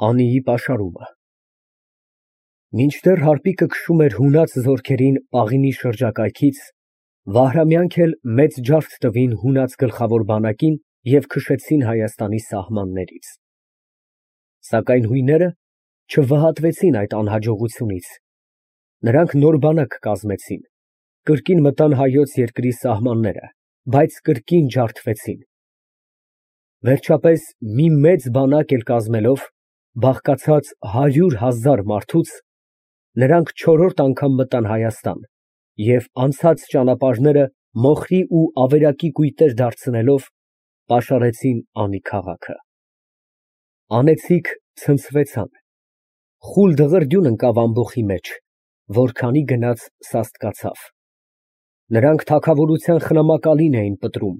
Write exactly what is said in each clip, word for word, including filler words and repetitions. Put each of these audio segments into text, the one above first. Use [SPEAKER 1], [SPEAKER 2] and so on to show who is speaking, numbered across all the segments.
[SPEAKER 1] Անիի պաշարումը Մինչդեռ հարպիկը քշում էր հունած զորքերին Պաղինի շրջակայքից, Վահրամյանք էլ մեծ ջարդ տվին հունած գլխավոր բանակին և քշեցին Հայաստանի սահմաններից։ Սակայն հույները չվհատվեցին այդ անհաջողությունից, նրանք նոր բանակ կազմեցին, կրկին մտան հայոց երկրի սահմանները, բայց կրկին ջարդվեցին։ Վերջապես մի մեծ բանակ էլ կազմելով, բաղկացած հարյուր հազար մարդուց, նրանք չորրորդ անգամ մտան Հայաստան և անցած ճանապարհները մոխրի ու ավերակի կույտեր դարձնելով, պաշարեցին Անի քաղաքը։ Անեծիկ ցնցվեցան, խուլ դղրդյուն ընկավ ամբոխի մեջ, որքանի գնաց սաստկացավ։ Նրանք թագավորության խնամակալին էին պտրում,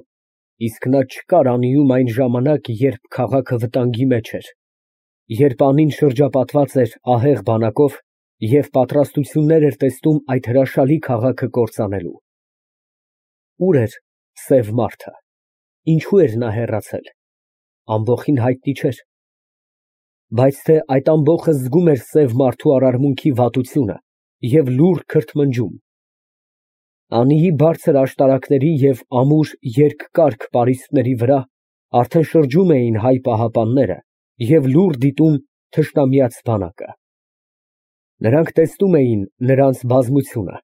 [SPEAKER 1] իսկ նա չկար անիում այն ժամանակ, երբ քաղաքը վտանգի մեջ էր, երբ Անին շրջապատված էր ահեղ բանակով և պատրաստություններ էր տեսնում այդ հրաշալի քաղաքը կործանելու։ Ո՞ւր էր սև մարդը, ինչո՞ւ էր նա հեռացել, ամբոխին հայտնի չէր, բայց թե այդ ամբոխը զգում էր սև մարդու արարմունքի վատությունը և լուռ քրթմնջում։ Անիի բարձր աշտարակների և ամուր երկկարգ պարիսպների վրա արդեն շրջում էին հայ պահապանները և լուռ դիտում թշնամյաց բանակը։ Նրանք տեսնում էին նրանց բազմությունը,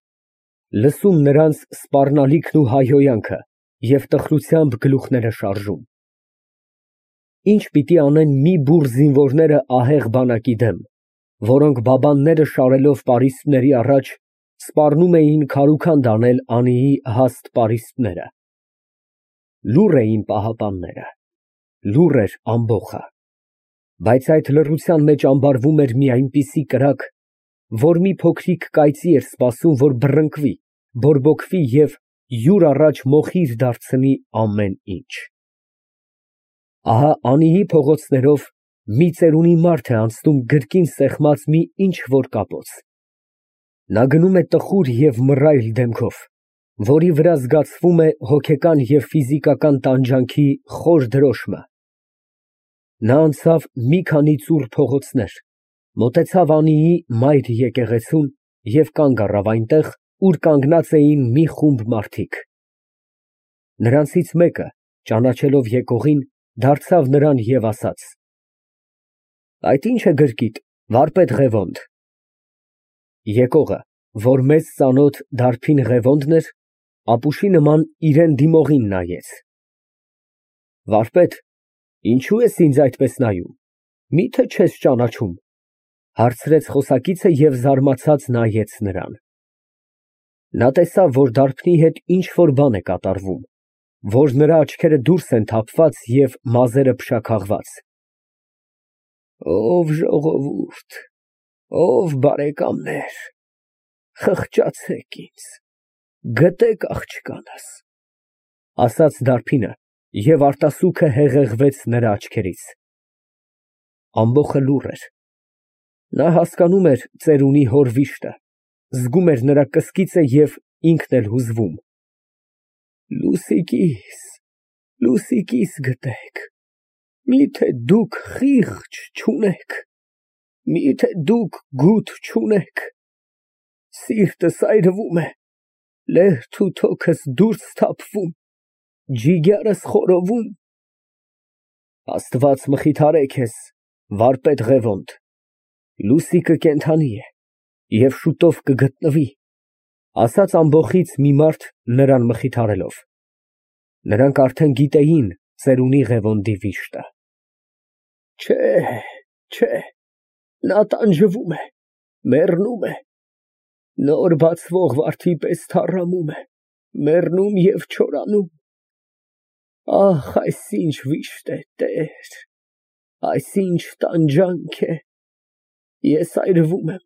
[SPEAKER 1] լսում նրանց սպառնալիքն ու հայհոյանքը և տխրությամբ գլուխները շարժում։ Ի՞նչ պիտի անեն մի բուռ զինվորները ահեղ բանակի դեմ, որոնք բաբանները շարելով պարիսպների առաջ, սպառնում էին քարուքանդ անել Անիի հաստ պարիսպները։ Լուռ էին պահապանները, լուռ էր ամբոխը, բայց այդ լռության մեջ ամբարվում էր մի այնպիսի կրակ, որ մի փոքրիկ կայծի էր սպասում, որ բռնկվի, բորբոքվի և յուր առաջ մոխիր դարձնի ամեն ինչ։ Ահա Անիի փողոցներով մի ծերունի մարդ է անցնում գրկին սեղմած մի ինչ֊որ կապոց։ Նա գնում է տխուր և մռայլ դեմքով, որի վրա զգացվում է հոգեկան և ֆիզիկական տանջանքի խոր դրոշմը։ Նա անցավ մի քանի ծուռ փողոցներ, մոտեցավ Անիի մայր եկեղեցուն և կանգ առավ այնտեղ, ուր կանգնած էին մի խումբ մարդիկ։ Նրանցից մեկը, ճանաչելով եկողին, դարձավ նրան և ասաց. «Այդ ի՞նչ է գրկիդ, վարպետ Ղևոնդ»։ Եկողը, որ մեզ ծանոթ դարբին Ղևոնդն էր, ապուշի նման իրան դիմողին նայեց։ Վարպետ, ինչո՞ւ ես ինձ այդպես նայում, մի՞թե չես ճանաչում, հարցրեց խոսակիցը և զարմացած նայեց նրան։ Նա տեսավ, որ դարբնի հետ ինչ֊որ բան է կատարվում, որ նրա աչքերը դուրս են թափված և մազերը փշաքաղված։ Ո՜վ ժողովուրդ, ո՜վ բարեկամներ, խղճացեք ինձ, գտեք աղջկանս, ասաց դարբինը, և արտասուքը հեղեղվեց նրա աչքերից։ Ամբոխը լուռ էր։ Նա հասկանում էր ծերունի հոր վիշտը, զգում էր նրա կսկիծը և ինքն էլ հուզվում։ Լուսիկիս, լուսիկիս գտեք, մի՞թե դուք խիղճ չունեք, մի՞թե դուք գութ չունեք, սիրտս այրվում է, լերդ ու թոքս դուրս թափվում, ջիգերս խորովում։ Աստված մխիթարե քեզ, վարպետ Ղևոնդ, լուսիկը կենդանի է և շուտով կգտնվի, ասաց ամբոխից մի մարդ նրան մխիթարելով։ Նրանք արդեն գիտեին ծերունի Ղևոնդի վիշտը։ Չէ, չէ, նա տանջվում է, մեռնում է, նոր բացվող վարդի պես թառամում է, մեռնում և չորանում։ Ահ, այս ինչ վիշտ է, Տեր, այս ինչ տանջանք է, ես այրվում եմ,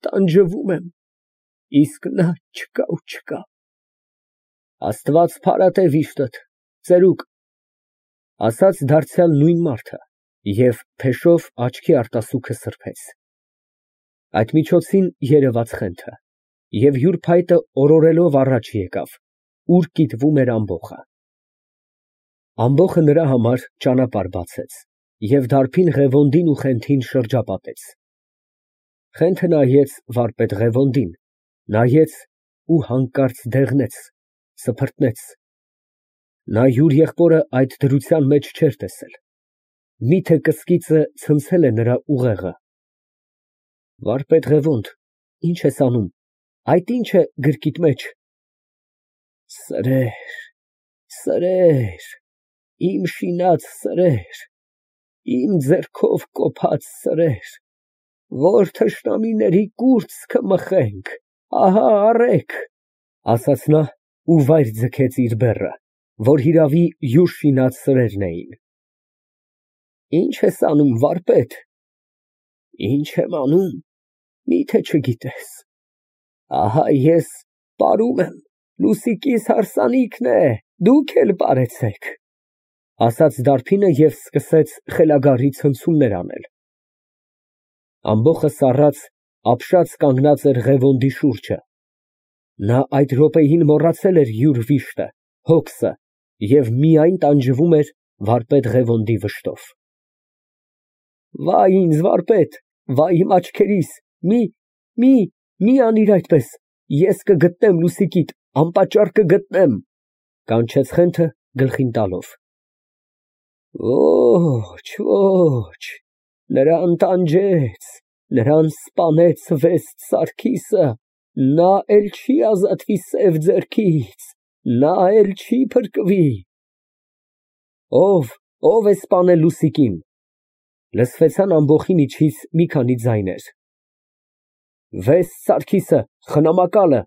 [SPEAKER 1] տանջվում եմ, իսկ նա չկա ու չկա։ Աստված փարատե վիշտդ, ծերուկ, ասաց դարձյալ նույն մարդը և փեշով աչքի արտասուքը սրբեց։ Այդ միջոցին երևաց Խենթը, և յուր փայտը օրորելով առաջ եկավ, ուր կիտվում էր ամբոխը։ Ամբոխը նրա համար ճանապարհ բացեց։ Եվ դարբին Ղևոնդին ու Խենթին շրջապատեց։ Խենթը նայեց վարպետ Ղևոնդին, նայեց ու հանկարծ դեղնեց, սփռտնեց։ Նա յուր եղբորը այդ դրության մեջ չէր տեսել, միթե կսկիծը ցնցել է նրա ուղեղը։ Վարպետ Ղևոնդ, ի՞նչ ես անում, այդ ի՞նչ է գրկիդ մեջ։ Սրեր, սրեր, իմ շինած սրեր, իմ ձեռքով կոփած սրեր, որ թշնամիների կուրծքը մխենք, ահա առեք, ասաց նա ու վայր ձգեց իր բեռը, որ հիրավի յուր շինած սրերն էին։ Ի՞նչ ես անում, վարպետ։ Ինչ եմ անում, միթե չգիտես։ Ահա ես պարում եմ, Լուսիկիս հարսանիքն է, դուք էլ պարեցեք, ասաց դարբինը և սկսեց խելագարի ցնցումներ անել։ Ամբոխը սառած, ապշած կանգնած էր Ղևոնդի շուրջը։ Նա այդ րոպեին մոռացել էր յուր վիշտը, հոգսը և միայն տանջվում էր վարպետ Ղևոնդի վշտով։ Վայ ինձ, վարպետ, վայ իմ աչքերիս, մի, մի, մի անիր այդպես, ես կգտնեմ Լուսիկիդ, անպատճառ կգտնեմ, կանչեց Խենթը գլխին տալով։ Ոչ, ոչ, նրան տանջեց, նրան սպանեց վեստ Սարգիսը, նա էլ չի ազատվի սև ձեռքից, նա էլ չի փրկվի։ Ո՞վ, ո՞վ է սպանել Լուսիկին։ Լսվեցան ամբոխի միջից մի քանի ձայներ։ Վեստ Սարգիսը, խնամակալը,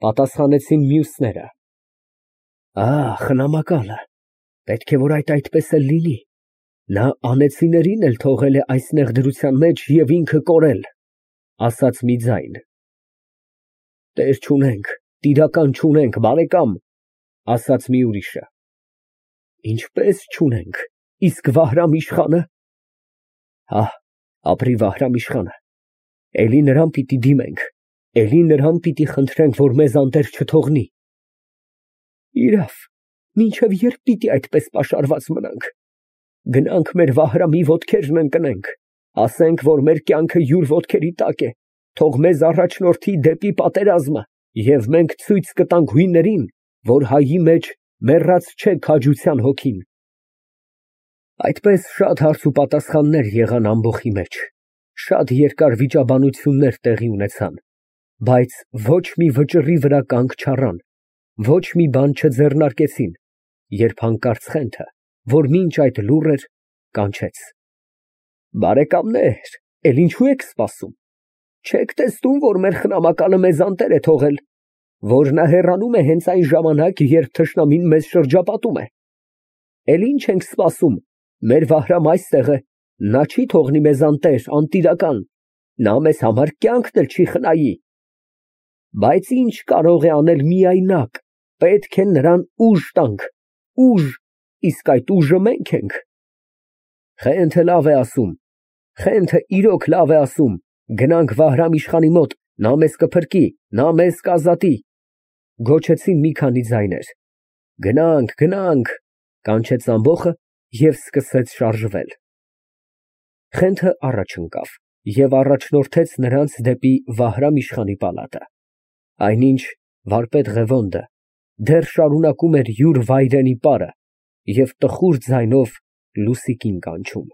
[SPEAKER 1] պատասխանեցին մյուսները։ Ա, խնամակալը, պետք է որ այդ այդպես էլ լինի, նա անեծիներին էլ թողել է այս նեղդրության մեջ և ինքը կորել, ասաց մի ձայն։ Տեր չունենք, տիրակալ չունենք, բարեկամ, ասաց մի ուրիշը։ Ինչպես չունենք, իսկ Վահրամ իշխանը։ Հա, ապրի Վահրամ իշխանը, էլի նրան պիտի դիմենք, էլի նրան պիտի խնդրենք, որ մեզ անտեր չթողնի։ Իրավ, մինչև երբ պիտի այդպես պաշարված մնանք։ Գնանք մեր Վահրամի ոտքերն ընկնենք, ասենք, որ մեր կյանքը յուր ոտքերի տակ է, թող մեզ առաջնորդի դեպի պատերազմը, և մենք ցույց կտանք հույններին, որ հայի մեջ մեռած չէ քաջության հոգին։ Այդպես շատ հարց ու պատասխաններ եղան ամբոխի մեջ, շատ երկար վիճաբանություններ տեղի ունեցան, բայց ոչ մի վճռի վրա կանգ չառան, ոչ մի բան չձեռնարկեցին, երբ հանկարծ Խենթը, որ մինչ այդ լուռ էր, կանչեց. Բարեկամներ, էլ ինչու եք սպասում, չեք տեսնում, որ մեր խնամակալը մեզ անտեր է թողել, որ նա հեռանում է հենց այն ժամանակ, երբ թշնամին մեզ շրջապատում է։ Էլ ինչ ենք սպասում, մեր Վահրամ այստեղ է, նա չի թողնի մեզ անտեր, անտիրական, նա մեզ համար կյանքն էլ չի խնայի։ Բայց ինչ կարող է անել միայնակ, պետք է նրան ուժ տանք, ուժ, իսկ այդ ուժը մենք ենք։ Խենթը լավ է ասում, Խենթը իրոք լավ է ասում, գնանք Վահրամ իշխանի մոտ, նա մեզ կփրկի, նա մեզ կազատի, գոչեցին մի քանի ձայներ։ Գնանք, գնանք, կանչեց ամբոխը և սկսեց շարժվել։ Խենթը առաջ ընկավ և առաջնորդեց նրանց դեպի Վահրամ իշխանի պալատը, այնինչ վարպետ Ղևոնդը դեռ շարունակում էր յուր վայրենի պարը և տխուր ձայնով Լուսիկին կանչում։